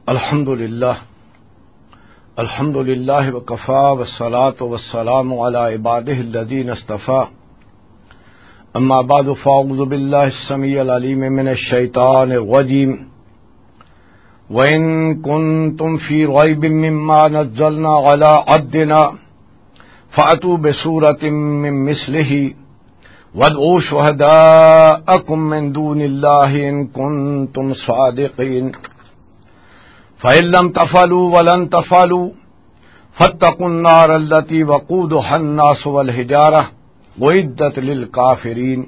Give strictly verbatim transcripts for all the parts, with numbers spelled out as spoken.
الحمد لله. الحمد لله وكفى، والصلاة والسلام على عباده الذين اصطفى. أما بعد، فأعوذ بالله السميع العليم من الشيطان الرجيم. وإن كنتم في ريب مما نزلنا على عبدنا فأتوا بسورة من مثله وادعوا شهداءكم من دون الله إن كنتم صادقين. فإن لم تفعلوا ولن تفعلوا فاتقوا النار التي وقودها الناس والحجارة أعدت للكافرين.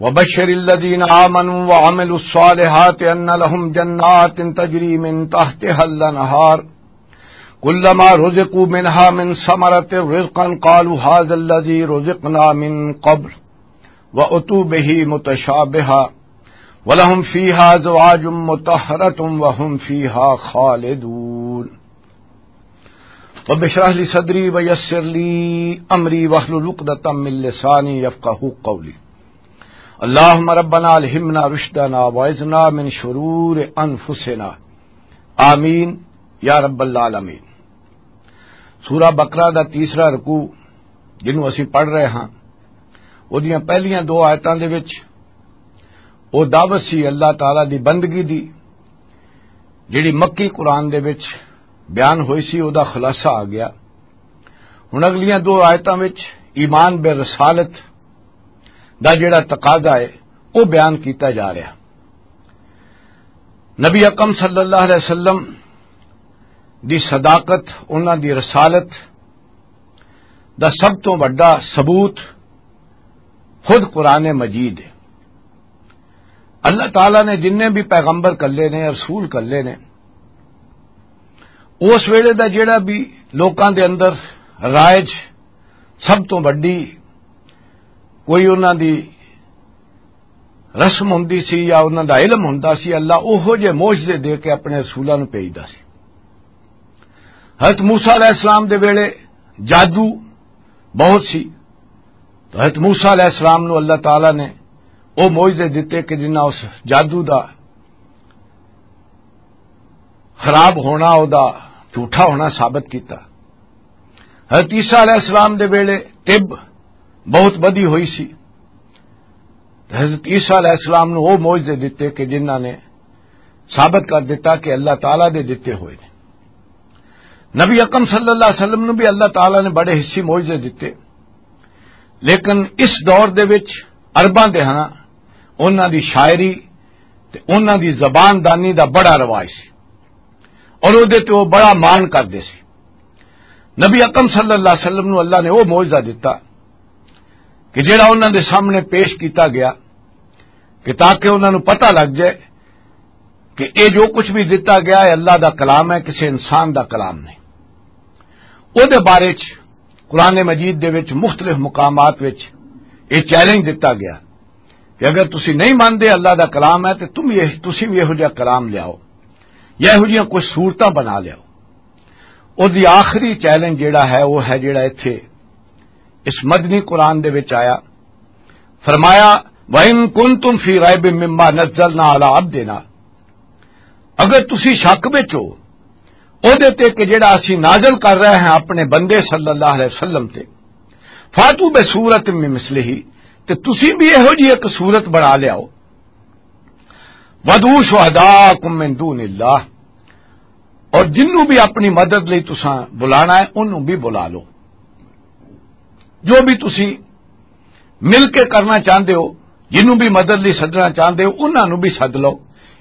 وبشر الذين آمنوا وعملوا الصالحات أن لهم جنات تجري من تحتها الأنهار كلما رزقوا منها من ثمرة رزقا قالوا هذا الذي رزقنا من قبل وأتوا به متشابها ولهم فيها أزواج مطهرة وهم فيها خالدون. رب اشرح لي صدري ويسر لي أمري واحلل عقدة من لساني يفقهوا قولي. اللهم ربنا ألهمنا رشدنا وأعذنا من شرور أنفسنا. آمین یا رب العالمین۔ سورہ بقرہ دا تیسرا رکوع، جنوں اسی پڑھ رہے ہاں، اودیاں پہلیاں دو آیتاں دے وچ او دعوت سی اللہ تعالیٰ دی بندگی دی، جڑی مکی قرآن دے وچ بیان ہوئی سی، او دا خلاصہ آ گیا۔ ہن اگلیاں دو آیتاں وچ ایمان بے رسالت دا جڑا تقاضا ہے، او بیان کیتا جا رہا۔ نبی اکرم صلی اللہ علیہ وسلم دی صداقت، انہاں دی رسالت دا سب تو وڈا ثبوت خود قرآن مجید ہے۔ اللہ تعالیٰ نے جنہیں بھی پیغمبر کلے نے، رسول کلے نے، اس ویلے دا جڑا بھی لوکاں دے اندر رائج سب تو وڈی کوئی انہاں دی رسم ہوندی سی یا انہاں دا علم ہوندا سی، اللہ اوہو جے معجزے دے کے اپنے رسولاں نوں بھیجدا سی۔ حضرت موسیٰ علیہ السلام دے ویلے جادو بہت سی، تو حضرت موسیٰ علیہ السلام نوں اللہ تعالیٰ نے او معجزے دتے کہ جنہاں اس جادو دا خراب ہونا، او دا جھوٹا ہونا ثابت کیتا۔ حضرت عیسیٰ علیہ السلام دے ویلے طب بہت ودھی ہوئی سی۔ حضرت عیسیٰ علیہ السلام نوں او معجزے دتے کہ جنہاں نے ثابت کر دتا کہ اللہ تعالیٰ دے دتے ہوئے نے۔ نبی اکرم صلی اللہ علیہ وسلم نوں بھی اللہ تعالیٰ نے بڑے حصے معجزے دتے، لیکن اس دور دے وچ عرباں دے ہاں انہاں دی شاعری تے انہاں دی زبان دانی دا بڑا رواج سی اور او دے تے او بڑا مان کردے سی۔ نبی اکرم صلی اللہ علیہ وسلم نوں اللہ نے او معجزہ دتا کہ جڑا انہاں دے سامنے پیش کیتا گیا کہ تاکہ انہاں نوں پتہ لگ جائے کہ اے جو کچھ بھی دتا گیا ہے اللہ دا کلام ہے، کسی انسان دا کلام نہیں۔ او دے بارے چ قرآن مجید دے وچ مختلف مقامات وچ اے چیلنج دتا گیا کہ اگر تسی نہیں مانتے اللہ دا کلام ہے تے تم یہ، تسی بھی یہو جہا کلام لیاؤ یا یہو جہاں کوئی صورتاں بنا لیاؤ۔ او دی آخری چیلنج جڑا ہے، وہ ہے جڑا ایتھے اس مدنی قرآن دے وچ آیا، فرمایا، "وَإِن كُنتُمْ فِي رَيْبٍ مِّمَّا نَزَّلْنَا عَلَىٰ عَبْدِنَا"، اگر تسی شک وچ ہو او دے تے کہ جڑا اسی نازل کر رہے ہیں اپنے بندے صلی اللہ علیہ وسلم تے، "فَأْتُوا بِسُورَةٍ مِّن مِّثْلِهِ"، تے تسی بھی یہو جی ایک صورت بنا لیاؤ، "وَادْعُوا شُهَدَاءَكُم مِّن دُونِ اللَّهِ"، اور جنوں بھی اپنی مدد لئی تساں بلانا ہے، انہوں بھی بلا لو۔ جو بھی تسی مل کے کرنا چاہندے ہو، جنوں بھی مدد لئی سدنا چاہندے ہو، انہاں نوں بھی سد لو۔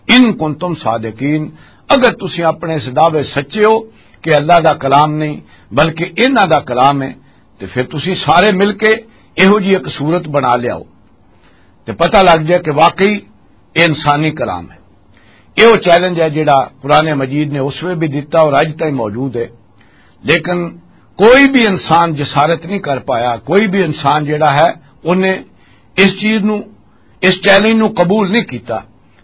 ان کنتم صادقین، اگر تسی اپنے اس دعوے سچے ہو کہ اللہ دا کلام نہیں بلکہ انہاں دا کلام ہے، تے پھر تسی سارے مل کے یہو جی ایک صورت بنا لیاؤ تے پتہ لگ جائے کہ واقعی یہ انسانی کلام ہے۔ یہ وہ چیلنج ہے جڑا قرآن مجید نے اس ویلے بھی دتا اور اج تائیں موجود ہے۔ لیکن کوئی بھی انسان جسارت نہیں کر پایا، کوئی بھی انسان جڑا ہے، انہیں اس چیز نو، اس چیلنج نو قبول نہیں کیتا۔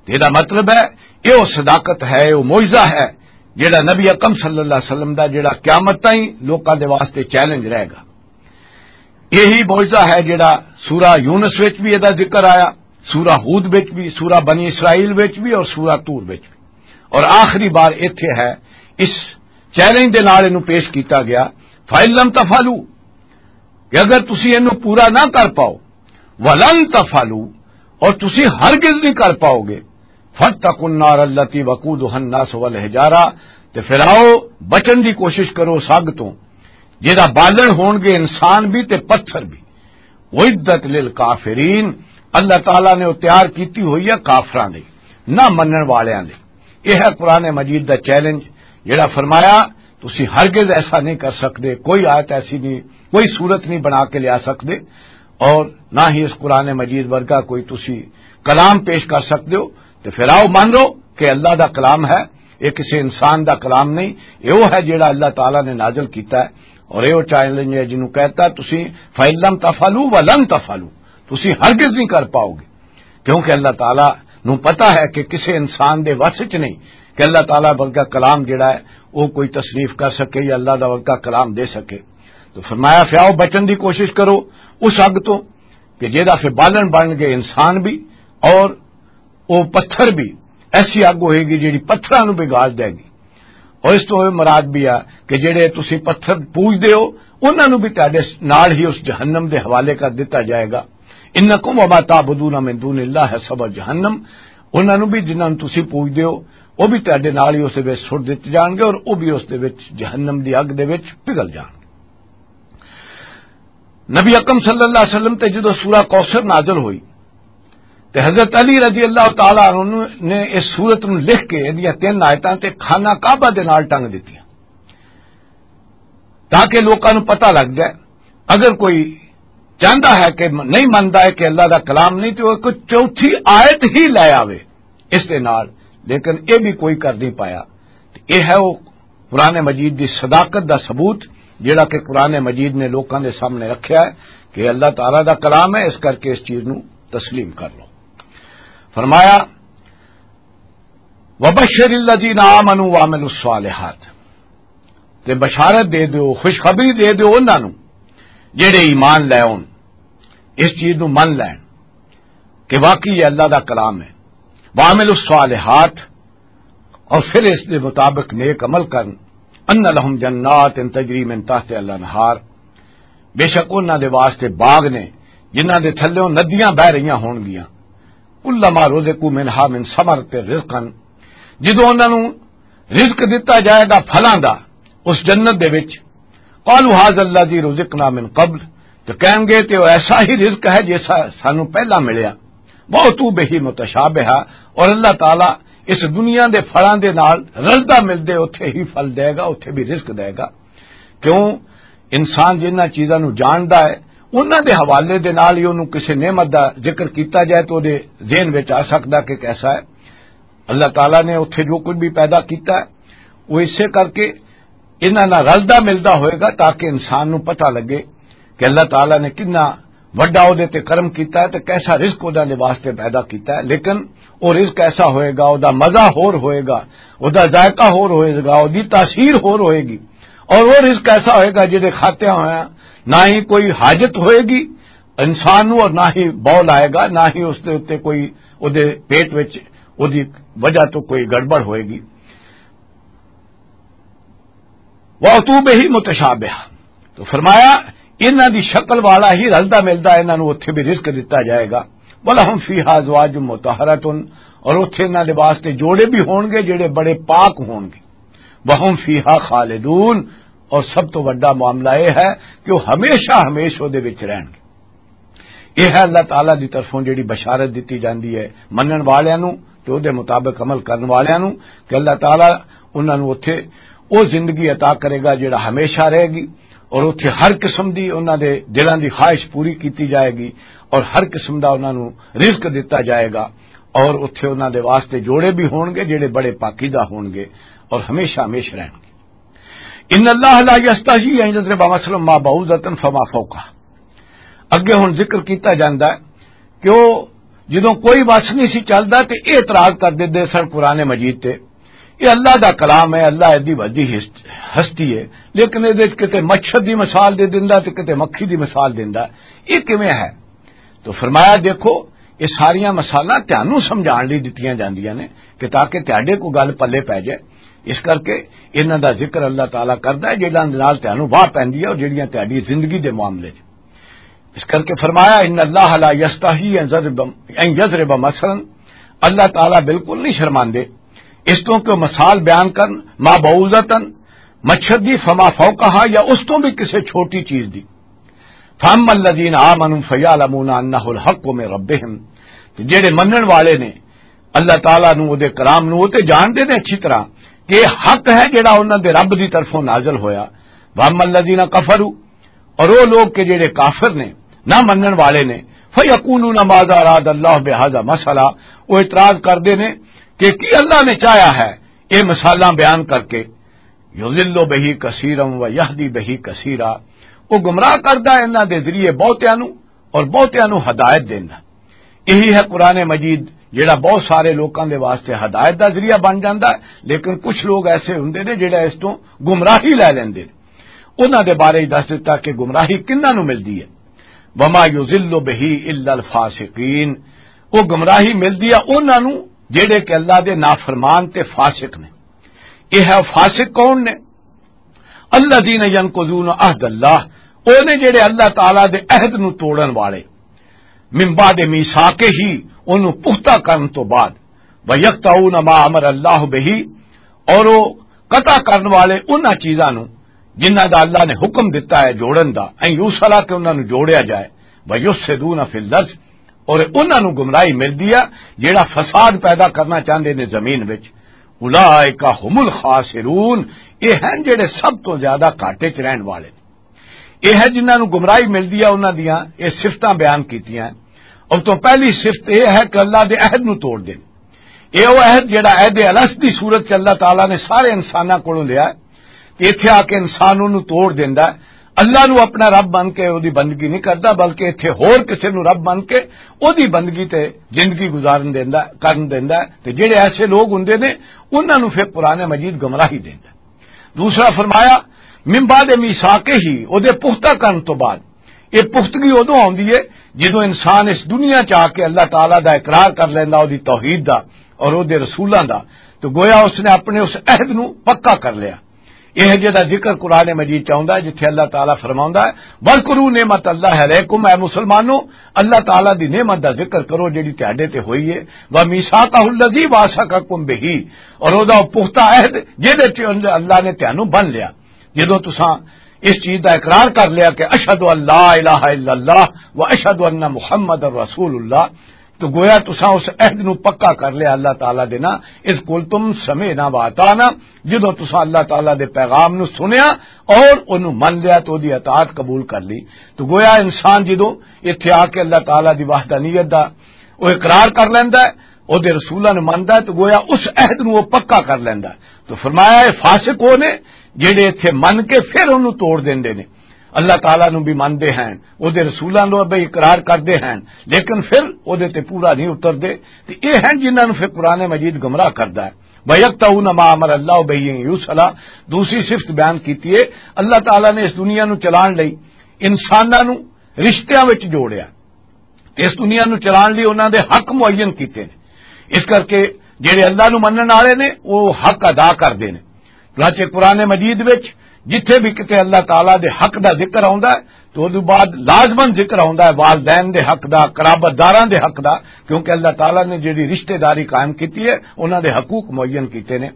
تے دا مطلب ہے، یہ وہ صداقت ہے، یہ وہ معجزہ ہے جڑا نبی اکرم صلی اللہ علیہ وسلم دا، جڑا قیامت تائیں لوکاں دے واسطے چیلنج رہے گا۔ یہی معجزہ ہے جڑا سورہ یونس وچ بھی ادا ذکر آیا، سورہ ہود وچ بھی، سورہ بنی اسرائیل وچ بھی اور سورہ طور وچ بھی۔ اور آخری بار ایتھے ہے، اس چیلنج دے نال اینوں پیش کیتا گیا، فَإِن لَّمْ تَفْعَلُوا، کہ اگر تسی اینوں پورا نہ کر پاؤ، وَلَن تَفْعَلُوا، اور تسی ہرگز نہیں کر پاؤ گے، فَاتَّقُوا النَّارَ الَّتِي وَقُودُهَا النَّاسُ وَالْحِجَارَةُ، تے پھر آؤ، بچن دی کوشش کرو اس اگ تو، جہدا بالن ہون گے انسان بھی تے پتھر بھی۔ اعدت للکافرین، اللہ تعالیٰ نے وہ تیار کیتی ہوئی ہے کافراں لئی، نہ منن والیاں لئی۔ یہ ہے قرآن مجید دا چیلنج، جڑا فرمایا، تسی ہرگز ایسا نہیں کر سکدے، کوئی آیت ایسی نہیں، کوئی صورت نہیں بنا کے لیا سکدے، اور نہ ہی اس قرآن مجید ورگا کوئی تسی کلام پیش کر سکدے ہو۔ تے پھر آؤ، مان لو کہ اللہ دا کلام ہے، یہ کسی انسان دا کلام نہیں، یہ وہ ہے جڑا اللہ تعالیٰ نے نازل کیتا ہے۔ اور یہ وہ چیلنج ہے جنہوں کہتا تسی، فَإِن لَّمْ تَفْعَلُوا وَلَن تَفْعَلُوا، تسی ہرگز نہیں کر پاؤ گے، کیونکہ اللہ تعالیٰ نو پتا ہے کہ کسی انسان دے وس وچ نہیں کہ اللہ تعالیٰ ورگا کلام جڑا ہے، وہ کوئی تصریف کر سکے یا اللہ دا ورگا کلام دے سکے۔ تو فرمایا، پھر آؤ، بچن دی کوشش کرو اس اگ تو کہ جہدا پھر بالن بن گئے انسان بھی اور وہ پتھر بھی۔ ایسی اگ ہوئے گی جہڑی پتھراں نوں بگاڑ دے گی۔ اور اس تو یہ مراد بھی آ کہ جہڑے تسی پتھر پوجدے ہو، انہاں نوں بھی تہاڈے نال ہی اس جہنم دے حوالے کر دتا جائے گا۔ انکم وما تعبدون من دون اللہ حصب جہنم، انہاں نوں بھی جنہاں نوں تسی پوجدے ہو، وہ بھی تہاڈے نال ہی اس دے وچ سٹ دتے جان گے اور وہ بھی اس دے وچ، جہنم دی اگ دے وچ پگھل جان گے۔ نبی اکرم صلی اللہ علیہ وسلم تے جدوں سورہ کوثر نازل ہوئی، تے حضرت علی رضی اللہ تعالیٰ عنہ نے اس سورت نوں لکھ کے، ادیاں تین آیتاں تے خانہ کعبہ دے نال ٹنگ دتیاں، تاکہ لوکاں نوں پتہ لگ جائے۔ اگر کوئی چاہندا ہے کہ نہیں مندا ہے کہ اللہ دا کلام نہیں، تے وہ کوئی چوتھی آیت ہی لے آوے اس دے نال، لیکن یہ بھی کوئی کر نہیں پایا۔ تے یہ ہے وہ قرآن مجید دی صداقت دا ثبوت، جڑا کہ قرآن مجید نے لوکاں دے سامنے رکھیا ہے کہ اللہ تعالیٰ دا کلام ہے، اس کر کے اس چیز نو تسلیم کر لو۔ فرمایا، وَبَشِّرِ الَّذِينَ آمَنُوا وَعَمِلُوا الصَّالِحَاتِ، تے بشارت دے دیو، خوشخبری دے دیو انہاں نو جڑے ایمان لے آؤن، اس چیز نو من لین کہ واقعی یہ اللہ دا کلام ہے۔ وَعَمِلُوا الصَّالِحَاتِ، اور پھر اس دے مطابق نیک عمل کرن۔ ان لہم جنات تجری من تحت الانہار، بے شک انہاں دے واسطے باغ نے جنہاں دے تھلوں ندیاں بہ رہیاں ہون گیاں۔ کلما رزقوا منہا من ثمرۃ رزقا، جدوں انہاں نوں رزق دتا جائے گا پھلاں دا اس جنت دے وچ، قالوا هذا الذي رزقنا من قبل، تو کہیں گے تے وہ ایسا ہی رزق ہے جیسا سانو پہلا ملیا۔ وَأُتُوا بِهِ مُتَشَابِهًا، اور اللہ تعالیٰ اس دنیا دے پھلاں دے نال رلدا ملدے اتھے ہی پھل دے گا، اتھے بھی رزق دے گا۔ کیوں؟ انسان جنہاں چیزاں نو جاندا ہے، انہاں دے حوالے دے نال ہی انہوں کسے نعمت دا ذکر کیتا جائے تو دے ذہن وچ آ سکدا کہ کیسا ہے۔ اللہ تعالیٰ نے اتھے جو کچھ بھی پیدا کیتا ہے، وہ اسے کر کے انہاں نال رلدا ملدا ہوئے گا، تاکہ انسان نو پتہ لگے کہ اللہ تعالیٰ نے کتنا وڈا او دے تے کرم کیتا ہے تے کیسا رزق او دے واسطے پیدا کیتا ہے۔ لیکن او رزق ایسا ہوئے گا، او دا مزہ ہور ہوئے گا، او دا ذائقہ ہور ہوئے گا، او دی تاثیر ہور ہوئے گی۔ اور وہ رزق ایسا ہوئے گا جہدے کھاتیاں ہویا نہ ہی کوئی حاجت ہوئے گی انسان نو، اور نہ ہی بول آئے گا، نہ ہی اس دے اُتے کوئی، او دے پیٹ وچ، او دی وجہ تو کوئی گڑبڑ ہوئے گی۔ وَأُتُوا بِهِ مُتَشَابِهًا، تو فرمایا، انہاں دی شکل والا ہی رلدا ملدا انہاں نوں اتھے بھی رزق دتا جائے گا۔ وَلَهُمْ فِيهَا أَزْوَاجٌ مُطَهَّرَةٌ، اور اتھے انہاں دے واسطے جوڑے بھی ہونگے جڑے بڑے پاک ہونگے۔ وَهُمْ فِيهَا خَالِدُونَ، اور سب تو وڈا معاملہ یہ ہے کہ وہ ہمیشہ ہمیش او دے وچ رہنگے۔ یہ ہے اللہ تعالیٰ دی طرفوں جڑی بشارت دتی جاندی ہے منن والیاں نوں تے او دے مطابق عمل کرن والیاں نوں، کہ اللہ تعالیٰ انہاں نوں اتھے او زندگی عطا کرے گا جڑا ہمیشہ رہے گی، اور اتھے ہر قسم دی انہاں دے دلاں دی خواہش پوری کیتی جائے گی، اور ہر قسم دا انہاں نوں رزق دتا جائے گا، اور اتھے انہاں دے واسطے جوڑے بھی ہونگے جڑے بڑے پاکیزہ ہونگے اور ہمیشہ ہمیش رہنگے۔ ان اللہ لا یستحی ان یضرب مثلا ما بعوضۃ فما فوقها۔ اگے ہن ذکر کیتا جاندا ہے کہ او جدوں کوئی وس نہیں سی چلدا تے اعتراض کر دیندے سن قرآن مجید تے، یہ اللہ دا کلام ہے، اللہ دی وڈی ہست-، ہستی ہے، لیکن اے دے وچ کتے مچھر دی مثال دے دیندا تے کتے مکھی دی مثال دیندا، یہ کیویں ہے؟ تو فرمایا، دیکھو، یہ ساریاں مثالاں تہانوں سمجھان لئی دتیاں جاندیاں نے کہ تاکہ تہاڈے کو گل پلے پے جائے۔ اس کر کے انہاں دا ذکر اللہ تعالیٰ کردا ہے، جنہاں دے نال تہانوں واہ پیندی ہے اور جڑیاں تہاڈی زندگی دے معاملے نے۔ اس کر کے فرمایا، "ان اللہ لا یستحی ان یضرب، ان یضرب مثلا"، اللہ تعالیٰ بالکل نہیں شرماندے اس تو کہ وہ مثال بیان کرن، ما بعوضۃ، مچھر دی، فما فوقہا، یا اس تو بھی کسی چھوٹی چیز دی۔ فاما الذین آمنوا فیعلمون انہ الحق من ربہم، تے جڑے منن والے نے اللہ تعالیٰ نو، اودے کلام نو، او تے جانتے نے اچھی طرح کہ یہ حق ہے جڑا انہاں دے رب دی طرفوں نازل ہویا۔ واما الذین کفروا، اور وہ لوگ کہ جڑے کافر نے، نہ منن والے نے، فیقولون ماذا اراد اللہ بہذا مثلا، وہ اعتراض کردے نے کہ کی اللہ نے چاہیا ہے یہ مثالاں بیان کر کے، یضل بہ کثیرا و یہدی بہ کثیرا، وہ گمراہ کردا ہے انہاں دے ذریعے بہتیاں نو اور بہتیاں نو ہدایت دیندا۔ یہی ہے قرآن مجید، جڑا بہت سارے لوکاں دے واسطے ہدایت دا ذریعہ بن جاندا ہے، لیکن کچھ لوگ ایسے ہوندے نے جڑا اس تو گمراہی لے لیندے نے۔ انہاں دے بارے ہی دس دتا کہ گمراہی کنہاں نو ملدی ہے۔ وما یضل بہ الا الفاسقین، وہ گمراہی ملدی ہے انہاں نو جڑے کہ اللہ دے نافرمان تے فاسق نے۔ یہ ہے فاسق کون نے؟ الذین ینقضون عہد اللہ، او نے جڑے اللہ تعالیٰ دے عہد نو توڑن والے، من بعد میثاقہ، اونوں پختہ کرن تو بعد، ویقطعون ما امر اللہ بہ، اور وہ قطع کرن والے انہاں چیزاں نو جنہاں دا اللہ نے حکم دتا ہے جوڑن دا، ان یوصلا، کہ انہاں نو جوڑیا جائے، ویفسدون فی الارض، اور انہاں نو گمراہی ملدی ہے جڑا فساد پیدا کرنا چاہندے نے زمین وچ۔ اولئک ھم الخاسرون، یہ ہیں جڑے سب تو زیادہ گھاٹے چ رہن والے۔ یہ ہے جنہاں نو گمراہی ملدی ہے، انہاں دیاں یہ صفتاں بیان کیتیاں۔ اور تو پہلی صفت یہ ہے کہ اللہ دے عہد نو توڑ دین۔ یہ وہ عہد جڑا عہد الست دی صورت چ اللہ تعالیٰ نے سارے انساناں کولوں لیا ہے، تے ایتھے آ کے انسان اونوں توڑ دیندا ہے۔ اللہ نو اپنا رب بن کے اودی بندگی نہیں کردا، بلکہ ایتھے ہور کسے نو رب بن کے اودی بندگی تے زندگی گزارن دیندا، کرن دیندا ہے۔ تے جڑے ایسے لوگ ہوندے نے، انہاں نو پھر قرآن مجید گمراہی دیندا ہے۔ دوسرا فرمایا، من بعد میثاقہ، اودے پختہ کرن تو بعد۔ یہ پختگی ادوں آندی ہے جدوں انسان اس دنیا چ آ کے اللہ تعالیٰ دا اقرار کر لیندا، اودی توحید دا اور اودے رسولاں دا، تو گویا اس نے اپنے اس عہد نو پکا کر لیا۔ یہ جڑا ذکر قرآن مجید چ آوندا ہے، جتھے اللہ تعالیٰ فرماوندا ہے، "واذکروا نعمت اللہ علیکم"، اے مسلمانو، اللہ تعالیٰ دی نعمت دا ذکر کرو جڑی تہاڈے تے ہوئی ہے، "ومیثاقہ الذی واثقکم بہ"، اور او دا پختہ عہد جڑے تے اللہ نے تہانوں بن لیا، جدوں تساں اس چیز دا اقرار کر لیا کہ "اشہد ان لا الہ الا اللہ و اشہد ان محمد رسول اللہ"، تو گویا تساں اس عہد نو پکا کر لیا اللہ تعالیٰ دے نا، "اذ قلتم سمعنا و اطعنا"، جدوں تساں اللہ تعالیٰ دے پیغام نو سنیا اور اونوں من لیا تو دی اطاعت قبول کر لی۔ تو گویا انسان جدوں ایتھے آ کے اللہ تعالیٰ دی وحدانیت دا او اقرار کر لیندا ہے، او دے رسولاں نو مندا ہے، تو گویا اس عہد نو او پکا کر لیندا ہے۔ تو فرمایا، یہ فاسق او نے جڑے ایتھے من کے پھر اونوں توڑ دیندے نے۔ اللہ تعالیٰ نو بھی مندے ہیں، او دے رسولاں نو بھی اقرار کردے ہیں، لیکن پھر او دے تے پورا نہیں اتردے۔ تے اے ہیں جنہاں نو پھر قرآن مجید گمراہ کردا ہے۔ "وَيَقْطَعُونَ مَا أَمَرَ اللَّهُ بِهِ أَن يُوصَلَ"، دوسری صفت بیان کیتی ہے، اللہ تعالیٰ نے اس دنیا نو چلان لئی انساناں نو رشتیاں وچ جوڑیا۔ تے اس دنیا نوں چلان لئی انہاں دے حق معین کیتے نے۔ اس کر کے جڑے اللہ نوں منن والے نے، وہ حق ادا کردے نے۔ چنانچہ قرآن مجید وچ جتھے بھی کتے اللہ تعالیٰ دے حق دا ذکر آوندا ہے، تو اودوں بعد لازماً ذکر آوندا ہے والدین دے حق دا، قرابت داراں دے حق دا، کیونکہ اللہ تعالیٰ نے جڑی رشتہ داری قائم کیتی ہے، انہاں دے حقوق معین کیتے نے۔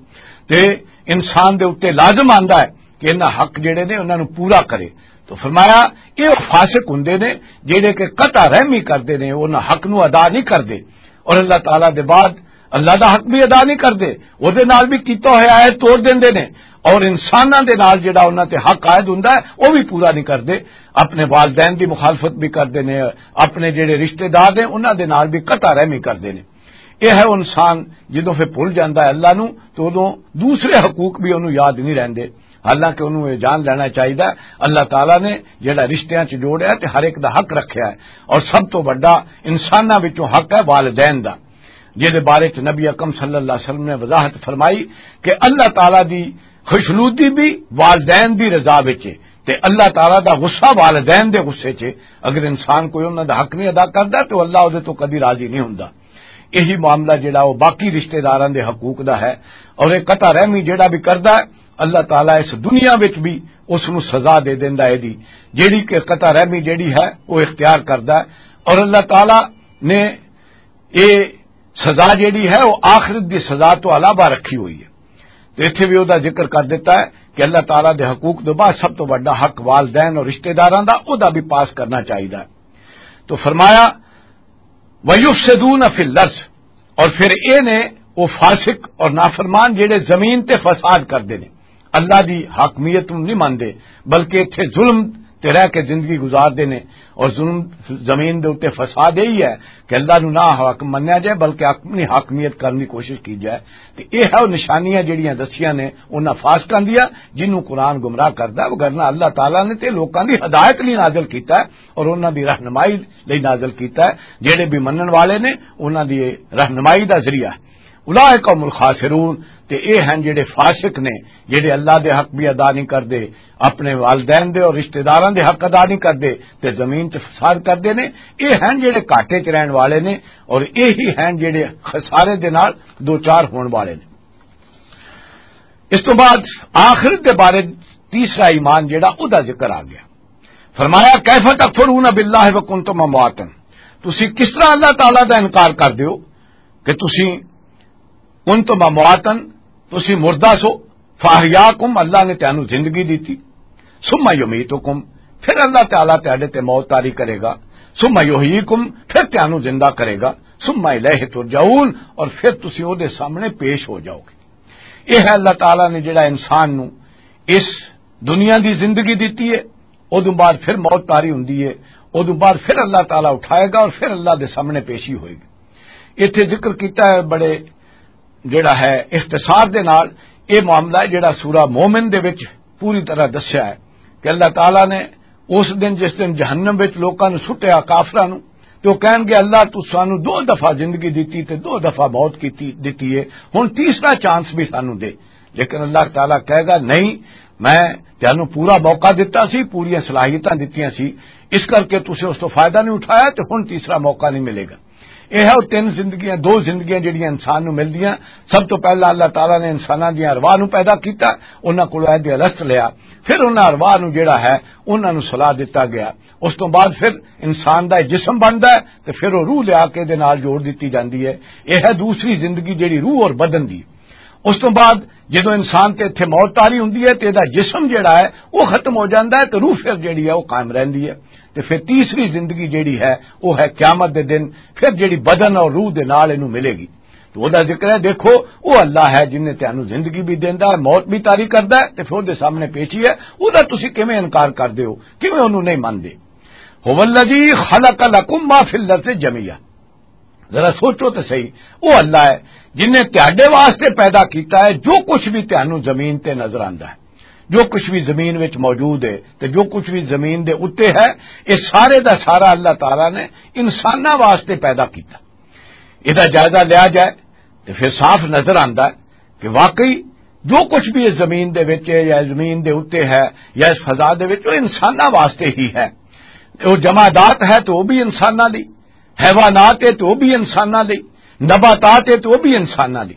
تے انسان دے اُتے لازم آندا ہے کہ انہاں حق جڑے نے، انہاں نوں پورا کرے۔ تو فرمایا، یہ فاسق ہوندے نے جڑے کہ قطع رحمی کردے نے، انہاں حق نو ادا نہیں کردے، اور اللہ تعالیٰ دے بعد اللہ دا حق بھی ادا نہیں کردے، او دے نال بھی کیتا ہویا ہے توڑ دیندے نے، اور انساناں دے نال جڑا انہاں تے حق عائد ہوندا ہے، او بھی پورا نہیں کردے۔ اپنے والدین دی مخالفت بھی کردے نے، اپنے جڑے رشتہ دار نے، انہاں دے نال بھی قطع رحمی کردے نے۔ یہ ہے انسان جدوں پھر بھول جاندا ہے اللہ نو، تو ادوں دوسرے حقوق بھی انہوں یاد نہیں رہندے۔ حالانکہ انہوں یہ جان لینا چاہیے، اللہ تعالیٰ نے جڑا رشتیاں چ جوڑیا تے ہر ایک دا حق رکھیا ہے، اور سب تو بڑا انساناں وچوں حق ہے والدین دا، جہدے بارے چ نبی اکرم صلی اللہ علیہ وسلم نے وضاحت فرمائی کہ اللہ تعالیٰ دی خوشنودی بھی والدین دی رضا وچ ہے۔ تے اللہ تعالیٰ دا غصہ والدین دے غصے چ، اگر انسان کوئی انہاں دا حق نہیں ادا کردا، تے اللہ اودے تو کدی راضی نہیں ہوندا۔ یہی معاملہ جڑا وہ باقی رشتہ داراں دے حقوق دا ہے، اور یہ قطع رحمی جڑا بھی کردا ہے، اللہ تعالیٰ اس دنیا وچ بھی اس نو سزا دے دیندا ہے دی، جیڑی کہ قطع رحمی جیڑی ہے، وہ اختیار کردا ہے۔ اور اللہ تعالیٰ نے یہ سزا جیڑی ہے، وہ آخرت دی سزا تو علاوہ رکھی ہوئی ہے۔ تو اتھے بھی وہ ذکر کر دیتا ہے کہ اللہ تعالیٰ دے حقوق دے بعد سب تو بڑا حق والدین اور رشتہ داراں دا، وہ بھی پاس کرنا چاہیے۔ تو فرمایا، وَيُفْسِدُونَ فِي الْأَرْضِ، اور پھر اے نے، وہ فاسق اور نافرمان جڑے زمین تے فساد کردے نے، اللہ دی حاکمیت نوں نہیں مندے، بلکہ اتھے ظلم تے رہ کے زندگی گزاردے نے۔ اور ظلم، زمین دے اوتے فساد یہی ہے کہ اللہ نوں نہ حاکم منیا جائے، بلکہ اپنی حاکمیت کرن دی کوشش کی جائے۔ تے اے ہے وہ نشانیاں جڑیاں دسیاں نے انہاں فاسقاں دیاں، جنوں قرآن گمراہ کردا ہے۔ وگرنہ اللہ تعالیٰ نے تے لوکاں دی ہدایت لئی نازل کیتا ہے اور انہاں دی رہنمائی لئی نازل کیتا ہے۔ جڑے بھی منن والے نے، انہاں دی رہنمائی دا ذریعہ ہے۔ اولئک هم الخاسرون، تے اے ہن جڑے فاسق نے، جڑے اللہ دے حق بھی ادا نہیں کردے، اپنے والدین دے اور رشتہ داراں دے حق ادا نہیں کردے، تے زمین تے فساد کردے نے۔ اے ہن جڑے گھاٹے چ رہن والے نے، اور اے ہی ہن جڑے خسارے دے نال دو چار ہون والے نے۔ اس تو بعد آخرت دے بارے تیسرا ایمان جڑا، او دا ذکر آ گیا۔ فرمایا، "کیف تکفرون باللہ وکنتم امواتا"، تسی کس طرح اللہ تعالیٰ دا انکار کر دیو کہ تسی، "کنتم امواتا"، تسی مردہ سو، "فاحیاکم"، اللہ نے تانوں زندگی دیتی، "ثم یمیتکم"، پھر اللہ تعالیٰ تہاڈے تے موت طاری کرے گا، "ثم یحییکم"، پھر تانوں زندہ کرے گا، "ثم الیہ ترجعون"، اور پھر تسی او دے سامنے پیش ہو جاؤ گے۔ یہ ہے اللہ تعالیٰ نے جڑا انسان نو اس دنیا دی زندگی دیتی ہے، ادوں بعد پھر موت طاری ہوندی ہے، ادوں بعد پھر اللہ تعالیٰ اٹھائے گا اور پھر اللہ دے سامنے پیشی ہوئے گی۔ اتھے ذکر کیتا ہے بڑے جڑا ہے اختصار دے نال، یہ معاملہ ہے جڑا سورہ مومن دے وچ پوری طرح دسیا ہے کہ اللہ تعالیٰ نے اس دن، جس دن جہنم وچ لوکاں نوں سٹیا، کافراں نوں، تے او کہن گے، "اللہ، تو سانو دو دفعہ زندگی دتی تے دو دفعہ موت کیتی، دتی ہے، ہن تیسرا چانس بھی سانو دے۔" لیکن اللہ تعالیٰ کہے گا، "نہیں، میں تانوں پورا موقع دتا سی، پوریاں صلاحیتاں دتیاں سی، اس کر کے تسیں اس تو فائدہ نہیں اٹھایا، تے ہن تیسرا موقع نہیں ملے گا۔" یہ ہے وہ تین زندگیاں، دو زندگیاں جڑیاں انسان نوں ملدیاں۔ سب تو پہلا اللہ تعالیٰ نے انساناں دیاں ارواح نوں پیدا کیتا، انہاں کولوں عہد الست لیا، پھر انہاں ارواح نوں جڑا ہے، انہاں نوں صلاح دتا گیا۔ اس تو بعد پھر انسان دا جسم بندا ہے تے پھر وہ روح لیا کے دے نال جوڑ دتی جاندی ہے۔ یہ ہے دوسری زندگی جڑی روح اور بدن دی۔ اس تو بعد جدوں انسان تے اتھے موت طاری ہوندی ہے تے دا جسم جڑا ہے وہ ختم ہو جاندا ہے تے روح پھر جڑی ہے وہ قائم رہندی ہے۔ تے پھر تیسری زندگی جڑی ہے وہ ہے قیامت دے دن، پھر جڑی بدن اور روح دے نال اینوں ملے گی۔ تو او دا ذکر ہے، دیکھو، او اللہ ہے جن نے تانوں زندگی بھی دیندا ہے، موت بھی طاری کردا ہے، تے پھر دے سامنے پیشی ہے، او دا تسی کیویں انکار کردے ہو، کیویں اونوں نہیں مندے؟ "هو الذی خلق لکم ما فی الارض جمیعا۔" ذرا سوچو تے صحیح، او اللہ ہے جن نے تہاڈے واسطے پیدا کیتا ہے جو کچھ بھی تانوں زمین تے نظر آندا ہے، جو کچھ بھی زمین وچ موجود ہے تے جو کچھ بھی زمین دے اُتے ہے، یہ سارے دا سارا اللہ تعالیٰ نے انساناں واسطے پیدا کیتا۔ ادا جائزہ لیا جائے تے پھر صاف نظر آندا ہے کہ واقعی جو کچھ بھی اس زمین دے وچ ہے یا زمین دے اُتے ہے یا اس فضا دے وچ، وہ انساناں واسطے ہی ہے۔ وہ جمادات ہے تو وہ بھی انساناں دی، حیوانات ہے تو وہ بھی انساناں دی، نباتات ہے تو وہ بھی انساناں دی۔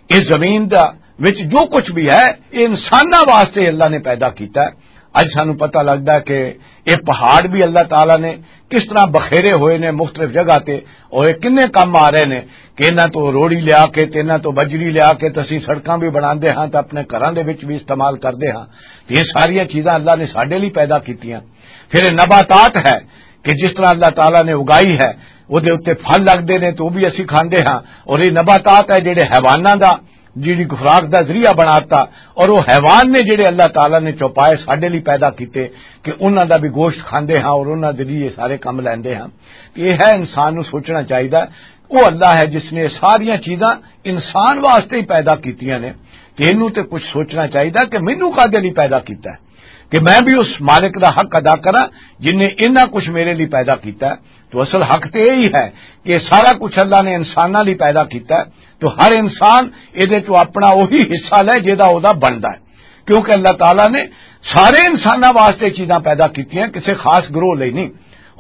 اس زمین دا وچ جو کچھ بھی ہے، یہ انساناں واسطے اللہ نے پیدا کیتا ہے۔ اج سانو پتہ لگدا ہے کہ یہ پہاڑ بھی اللہ تعالیٰ نے کس طرح بخیرے ہوئے نے مختلف جگہ تے، اور یہ کنے کم آ رہے نے کہ انہاں تو روڑی لیا کے تے انہاں تو بجری لیا کے تے اسی سڑکاں بھی بناندے ہاں تے اپنے گھراں دے وچ بھی استعمال کردے ہاں۔ تے یہ ساریاں چیزاں اللہ نے ساڈے لئی پیدا کیتیاں۔ پھر یہ نباتات ہے کہ جس طرح اللہ تعالیٰ نے اگائی ہے، وہ دے اُتے پھل لگدے نے تے وہ بھی اسی کھاندے ہاں۔ اور یہ نباتات ہے جڑے حیواناں دا جڑی خوراک دا ذریعہ بناتا، اور وہ حیوان نے جڑے اللہ تعالیٰ نے چوپائے ساڈے لئی پیدا کیتے کہ انہاں دا بھی گوشت کھاندے ہاں اور انہاں دے لیے سارے کم لیندے ہاں۔ یہ ہے انسان نو سوچنا چاہیدا، وہ اللہ ہے جس نے ساریاں چیزاں انسان واسطے ہی پیدا کیتیاں نے، تے اینوں تے کچھ سوچنا چاہیدا کہ مینوں کادے لئی پیدا کیتا ہے، کہ میں بھی اس مالک دا حق ادا کراں جن نے انہاں کچھ میرے لئی پیدا کیتا ہے۔ تو اصل حق تے یہی ہے کہ سارا کچھ اللہ نے انساناں لئی پیدا کیتا ہے، تو ہر انسان اے دے چوں اپنا وہی حصہ لے جے دا او دا بندا ہے۔ کیونکہ اللہ تعالیٰ نے سارے انساناں واسطے چیزاں پیدا کیتیاں، کسی خاص گروہ لئی نہیں۔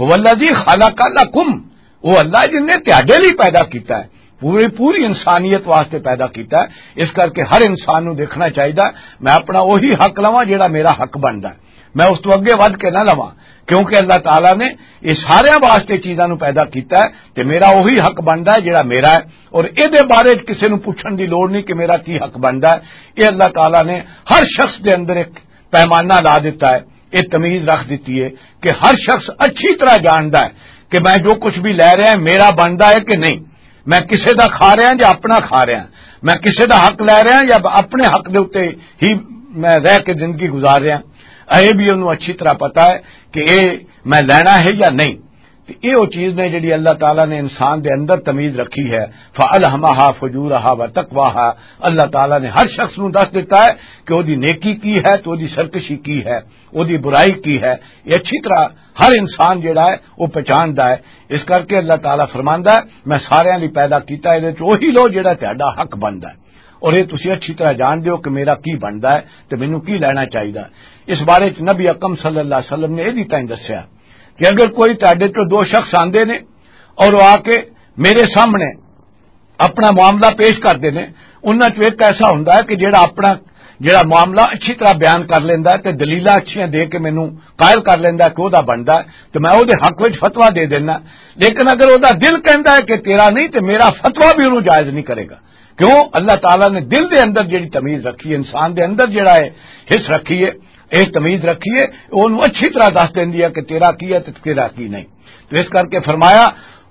هو الذی خلق لکم، وہ اللہ جن نے تہاڈے لئی پیدا کیتا ہے، پوری پوری انسانیت واسطے پیدا کیتا ہے۔ اس کر کے ہر انسان نوں دیکھنا چاہیدا، میں اپنا وہی حق لواں جڑا میرا حق بندا ہے، میں اس تو اگے ودھ کے نہ لواں، کیونکہ اللہ تعالیٰ نے یہ سارے واسطے چیزاں نوں پیدا کیتا ہے، تے میرا وہی حق بندا ہے جڑا میرا ہے۔ اور اے دے بارے وچ کسے نوں پوچھن دی لوڑ نہیں کہ میرا کی حق بندا ہے۔ اے اللہ تعالیٰ نے ہر شخص دے اندر ایک پیمانہ لا دیتا ہے، ایک تمیز رکھ دیتی ہے کہ ہر شخص اچھی طرح جاندا ہے کہ میں جو کچھ بھی لے رہا ہے میرا بندا ہے کہ نہیں، میں کسے دا کھا رہا یا اپنا کھا رہا، میں کسے دا حق لے رہا یا اپنے حق دے اُتے ہی میں رہ کے زندگی گزار رہا۔ اے بھی انہوں اچھی طرح پتا ہے کہ اے میں لینا ہے یا نہیں۔ تے اے او چیز نے جڑی اللہ تعالیٰ نے انسان دے اندر تمیز رکھی ہے۔ فَأَلْهَمَهَا فُجُورَهَا وَتَقْوَاهَا۔ اللہ تعالیٰ نے ہر شخص نوں دس دیتا ہے کہ او دی نیکی کی ہے تے او دی سرکشی کی ہے، او دی برائی کی ہے۔ یہ اچھی طرح ہر انسان جڑا ہے وہ پہچاندا ہے۔ اس کر کے اللہ تعالیٰ فرماندا ہے، میں سارے لئی پیدا کیتا ہے، اے وہی لو جڑا تہاڈا حق بندا ہے۔ اور یہ تسی اچھی طرح جان دیو کہ میرا کی بندا ہے تے مینوں کی لینا چاہیدا۔ اس بارے وچ نبی اکرم صلی اللہ علیہ وسلم نے یہ بھی تائیں دسیا کہ اگر کوئی تہاڈے چوں دو شخص آندے نے اور وہ آ کے میرے سامنے اپنا معاملہ پیش کردے نے، انہاں چوں ایک ایسا ہوندا ہے کہ جڑا اپنا، جڑا معاملہ اچھی طرح بیان کر لیندا ہے تے دلیلاں اچھیاں دے کے مینوں قائل کر لیندا ہے کہ او دا بندا ہے، تے میں او دے حق وچ فتویٰ دے دینا۔ لیکن اگر او دا دل کہندا ہے کہ تیرا نہیں، تے میرا فتویٰ بھی انہوں جائز نہیں کرے گا۔ کیوں؟ اللہ تعالیٰ نے دل دے اندر جڑی تمیز رکھی ہے، انسان دے اندر جڑا ہے حس رکھی ہے، ایک تمیز رکھی ہے، اونوں اچھی طرح دس دیندی ہے کہ تیرا کی ہے تے تیرا کی نہیں۔ تو اس کر کے فرمایا،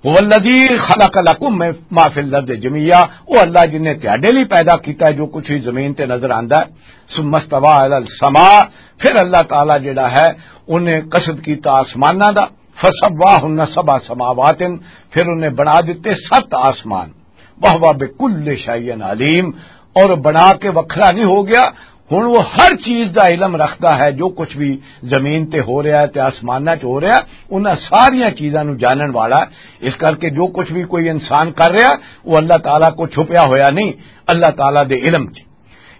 "هو الذی خلق لکم ما فی الارض جمیعا"، او اللہ جن نے تہاڈے لئی پیدا کیتا ہے جو کچھ بھی زمین تے نظر آندا ہے۔ "ثم استوی الی السماء"، پھر اللہ تعالیٰ جڑا ہے، انہیں قصد کیتا آسماناں دا، "فسواہن سبع سماوات"، پھر انہیں بنا دتے ست آسمان۔ "وہو بکل شیء علیم"، اور بنا کے وکھرا نہیں ہو گیا۔ ہن وہ ہر چیز دا علم رکھدا ہے، جو کچھ بھی زمین تے ہو رہا ہے تے آسماناں چ ہو رہا ہے، انہاں ساریاں چیزاں نوں جانن والا ہے۔ اس کر کے جو کچھ بھی کوئی انسان کر رہا، وہ اللہ تعالیٰ کو چھپیا ہویا نہیں، اللہ تعالیٰ دے علم چ۔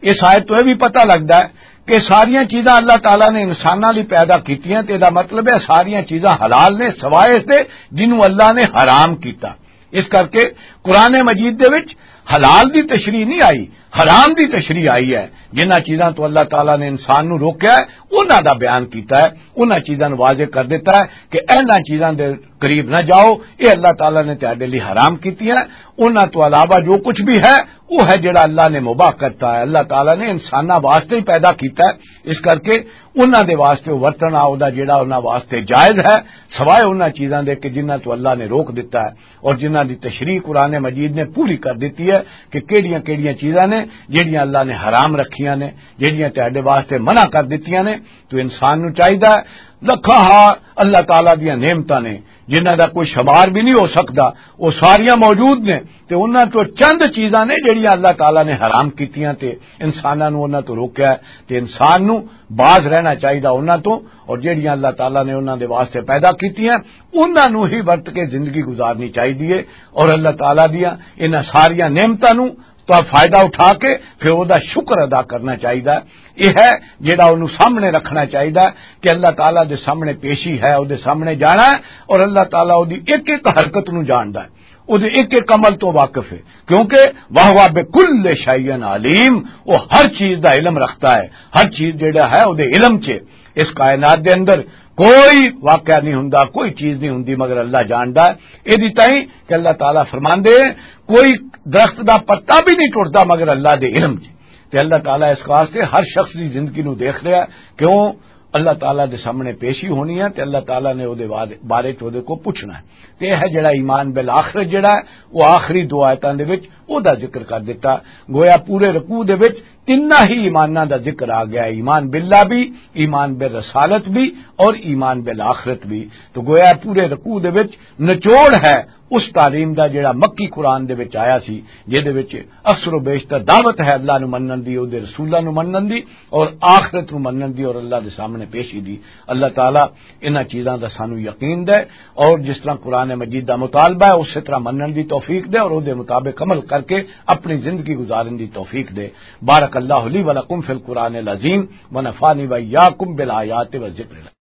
اس آیت تو یہ بھی پتہ لگدا ہے کہ ساریاں چیزاں اللہ تعالیٰ نے انساناں لئی پیدا کیتیاں، تے دا مطلب ہے ساریاں چیزاں حلال نے، سوائے اس دے جنوں اللہ نے حرام کیتا۔ اس کر کے قرآن مجید دے وچ حلال دی تشریح نہیں آئی، حرام دی تشریح آئی ہے۔ جنہاں چیزاں تو اللہ تعالیٰ نے انسان نوں روکیا ہے، انہاں دا بیان کیتا ہے، انہاں چیزاں نوں واضح کر دیتا ہے کہ انہاں چیزاں دے قریب نہ جاؤ، اے اللہ تعالیٰ نے تہاڈے لئی حرام کیتیاں۔ انہاں تو علاوہ جو کچھ بھی ہے، وہ ہے جڑا اللہ نے مباح کرتا ہے۔ اللہ تعالیٰ نے انساناں واسطے ہی پیدا کیتا ہے، اس کر کے انہاں دے واسطے ورتنا او دا جڑا انہاں واسطے جائز ہے، سوائے انہاں چیزاں دے کہ جنہاں تو اللہ نے روک دیتا ہے اور جنہاں دی تشریح قرآن مجید نے پوری کر دیتی ہے کہ کیڑیاں کیڑیاں چیزاں نے جڑیاں اللہ نے حرام رکھیاں نے، جڑیاں تہاڈے واسطے منع کر دتیاں نے۔ تو انسان نو چاہیدا ہے، لکھاں ہا اللہ تعالیٰ دیاں نعمتاں نے، جنہاں دا کوئی شمار بھی نہیں ہو سکدا، وہ ساریاں موجود نے۔ تے انہاں تو چند چیزاں نے جڑیاں اللہ تعالیٰ نے حرام کیتیاں تے انساناں نو انہاں تو روکیا ہے، تے انسان نو باز رہنا چاہیدا انہاں تو، اور جڑیاں اللہ تعالیٰ نے انہاں دے واسطے پیدا کیتیاں، انہاں نو ہی ورت کے زندگی گزارنی چاہیدی ہے۔ اور اللہ تعالیٰ دیاں انہاں ساریاں نعمتاں نو تو فائدہ اٹھا کے پھر او دا شکر ادا کرنا چاہیدا۔ یہ ہے جڑا انہوں سامنے رکھنا چاہیدا کہ اللہ تعالیٰ دے سامنے پیشی ہے، او دے سامنے جانا ہے، اور اللہ تعالیٰ او دی ایک ایک حرکت نو جاندا ہے، او دے ایک ایک عمل تو واقف ہے، کیونکہ وہو بکل شیء علیم، وہ ہر چیز دا علم رکھتا ہے، ہر چیز جڑا ہے او دے علم چ۔ اس کائنات دے اندر کوئی واقعہ نہیں ہوندا، کوئی چیز نہیں ہوندی مگر اللہ جاندا ہے۔ اے دی تائیں کہ اللہ تعالیٰ فرماندے ہیں، کوئی درخت دا پتا بھی نہیں ٹوٹدا مگر اللہ دے علم چ۔ تے اللہ تعالیٰ اس واسطے ہر شخص دی زندگی نو دیکھ رہا ہے، کیوں؟ اللہ تعالیٰ دے سامنے پیشی ہونی ہے تے اللہ تعالیٰ نے او دے واد-، بارے چ او دے کو پوچھنا ہے۔ تے یہ ہے جڑا ایمان بالآخرت جڑا ہے، وہ آخری دو آیتاں دے وچ او دا ذکر کر دیتا۔ گویا پورے رکوع دے وچ تیناں ہی ایماناں دا ذکر آ گیا، ایمان باللہ بھی، ایمان بالرسالت بھی اور ایمان بالآخرت بھی۔ تو گویا پورے رکوع دے وچ نچوڑ ہے اس تعلیم دا جڑا مکی قرآن دے وچ آیا سی، جے دے وچ اکثر و بیشتر دعوت ہے اللہ نو منن دی، او دے رسولاں نو منن دی، اور آخرت نو منن دی، اور اللہ دے سامنے پیشی دی۔ اللہ تعالیٰ انہاں چیزاں دا سانو یقین دے، اور جس طرح قرآن مجید دا مطالبہ ہے، اسی طرح منن دی توفیق دے، اور او دے مطابق عمل کر کے اپنی زندگی گزارن دی توفیق دے۔ بارک اللہ لی و لکم فی القرآن العظیم، و نفعنی و ایاکم بالآیات و ذکر